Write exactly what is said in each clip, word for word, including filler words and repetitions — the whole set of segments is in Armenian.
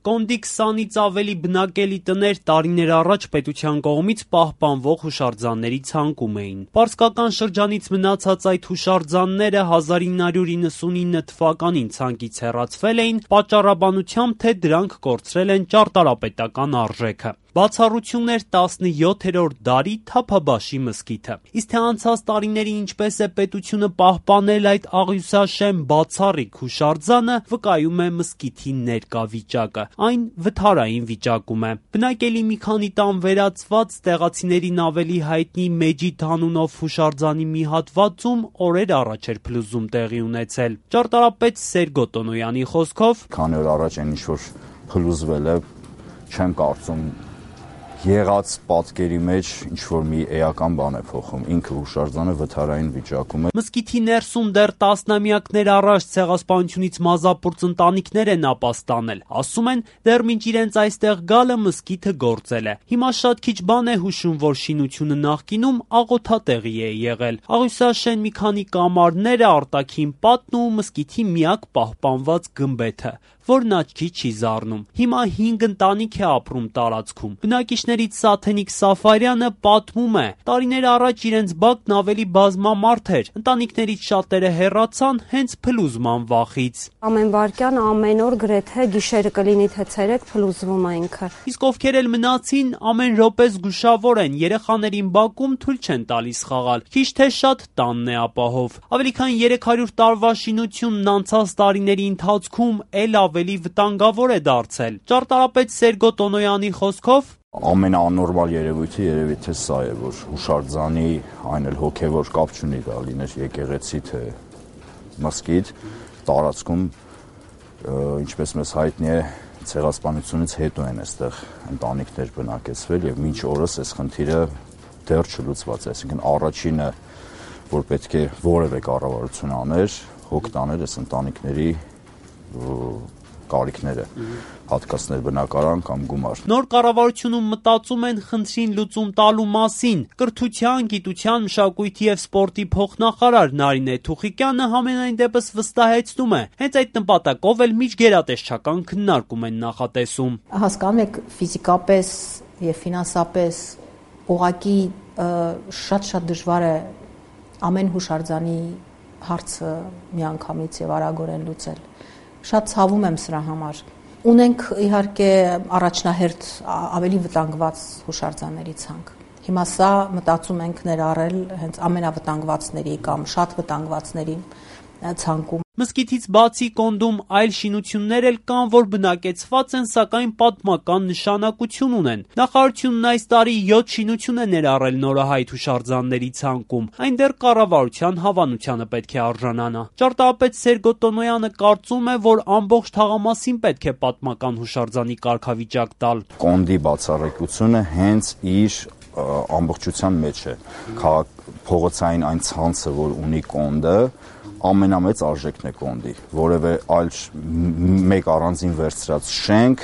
Կոնդի քսանից ավելի բնակելի տներ տարիներ առաջ պետության կողմից պահպանվող հուշարձանների ցանկում էին։ Պարսկական շրջանից մնացած այդ հուշարձանները հազար ինը հարյուր իննսունինը թվականին ցանկից հեռացվել էին պատճառաբանությամբ, թե դրանք կորցրել են ճարտարապետական արժեքը։ Բացառություններ տասնյոթերորդ դարի Թափաբաշի մզկիթը։ Իսկ թե անցած տարիներին ինչպես է պետությունը պահպանել այդ աղյուսաշեմ բացառիկ հուշարձանը, վկայում է մզկիթի ներկա վիճակը։ Այն վթարային վիճակում է։ Բնակելի մի քանի տան վերածված, տեղացիներին ավելի հայտնի Մեջիդ անունով հուշարձանի մի հատվածում օրեր առաջ էր փլուզում տեղի ունեցել։ Ճարտարապետ Սերգո Տոնոյանի խոսքով. «Քանի օր առաջ այն ինչ որ փլուզվել է, չեմ կարծում եղած պատկերի մեջ ինչ-որ մի էական բան է փոխում, ինքը հուշարձանը վթարային վիճակում է»։ Մզկիթի ներսում դեռ տասնամյակներ առաջ ցեղասպանությունից մազապուրծ ընտանիքներ են ապաստանել։ Ասում են, դեռ մինչ իրենց այստեղ գալը մզկիթը գործել է։ Հիմա շատ քիչ բան է հուշում, որ շինությունը նախկինում աղոթատեղի է եղել։ Աղյուսաշեն մի քանի կամարները, արտաքին պատն ու մզկիթի միակ պահպանված գմբեթը, որն աչքի չի զարնում։ Հիմա հինգ ընտանիք է ապրում տարածքում։ Բնակիչներից Սաթենիկ Սաֆարյանը պատմում է. տարիներ առաջ իրենց բակն ավելի բազմամարդ էր։ Ընտանիքներից շատերը հեռացան հենց փլուզման վախից։ Ամեն վարքյան, ամեն օր գրեթե գիշերը կլինի թե ցերեկ փլուզվում է ինքը։ Իսկ ովքեր էլ մնացին, ամեն րոպե զգուշավոր են, երեխաներին բակում թույլ չեն տալիս խաղալ։ Քիչ թե շատ տանն է ապահով։ Ավելի քան երեք հարյուր տարվա շինությունն անցած տարիների ընթացքում էլ ավելի վտանգավոր է դարձել։ Ճարտարապետ Սերգո Տոնոյանի խոսքով. ամենաանորմալ երևույթը երևի թե սա է, որ հուշարձանի այն էլ հոգևոր կապ չունի, դա լիներ եկեղեցի թե մզկիթ, տարածքում, ինչպես մեզ հայտնի է, ցեղասպանությունից հետո են այստեղ ընտանիքներ բնակեցվել եւ մինչ օրս այս խնդիրը դեռ չլուծված է, այսինքն առաջինը, որ պետք է որևէ կառավարություն աներ, հոգ տաներ այս ընտանիքների կարիքները, հատկացնել բնակարան կամ գումար։ Նոր կառավարությունում մտածում են խնդրին լուծում տալու մասին։ Կրթության, գիտության, մշակույթի եւ սպորտի փոխնախարար Նարինե Թուխիկյանը համենայն դեպս վստահեցնում է, հենց այդ նպատակով էլ միջգերատեսչական քննարկում են նախատեսում։ Հասկանում եք, ֆիզիկապես եւ ֆինանսապես ուղղակի շատ-շատ դժվար է ամեն հուշարձանի հարցը միանգամից եւ արագորեն լուծել։ Շատ ցավում եմ սրա համար։ Ունենք իհարկե առաջնահերթ ավելի վտանգված հուշարձանների ցանկ։ Հիմա սա մտածում ենք ներառել հենց ամենավտանգվածների կամ շատ վտանգվածների ցանկում։ Մզկիթից բացի Կոնդում այլ շինություններ էլ կան, որ բնակեցված են, սակայն պատմական նշանակություն ունեն։ Նախարարությունն այս տարի յոթ շինություն է ներառել նորահայտ հուշարձանների ցանկում։ Այն դեռ կառավարության հավանությանը պետք է արժանանա։ Ճարտարապետ Սերգո Տոնոյանը կարծում է, որ ամբողջ թաղամասին պետք է պատմական հուշարձանի կարգավիճակ տալ։ Կոնդի բացառայնությունը հենց իր ամբողջության մեջ է։ Փողոցային այն ցանցը, որ ունի Կոնդը, ամենամեծ արժեքն է Կոնդի, որևէ այլ մեկ առանձին վերցրած շենք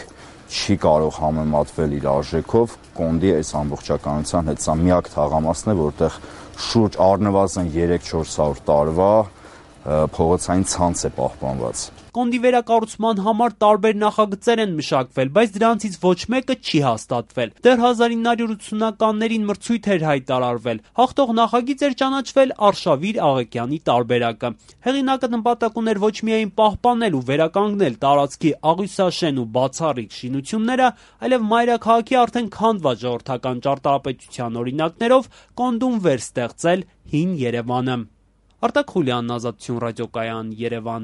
չի կարող համեմատվել իր արժեքով Կոնդի այս ամբողջականության հետ։ Սա միակ թաղամասն է, որտեղ շուրջ առնվազն երեք-չորս հարյուր տարվա փողոցային ցանց է պահպանված։ Կոնդի վերակառուցման համար տարբեր նախագծեր են մշակվել, բայց դրանցից ոչ մեկը չի հաստատվել։ Դեռ հազար ինը հարյուր ութսունականներին մրցույթ էր հայտարարվել։ Հաղթող նախագիծ էր ճանաչվել Արշավիր Աղեկյանի տարբերակը։ Հեղինակը նպատակ ուներ ոչ միայն պահպանել ու վերականգնել տարածքի աղյուսաշեն ու բացառիկ շինությունները, այլև մայրաքաղաքի արդեն քանդված ժողովրդական ճարտարապետության օրինակներով Կոնդում վերստեղծել հին Երևանը։ Արտակ Խուլյանն, Ազատություն ռադիոկայան, Երևան։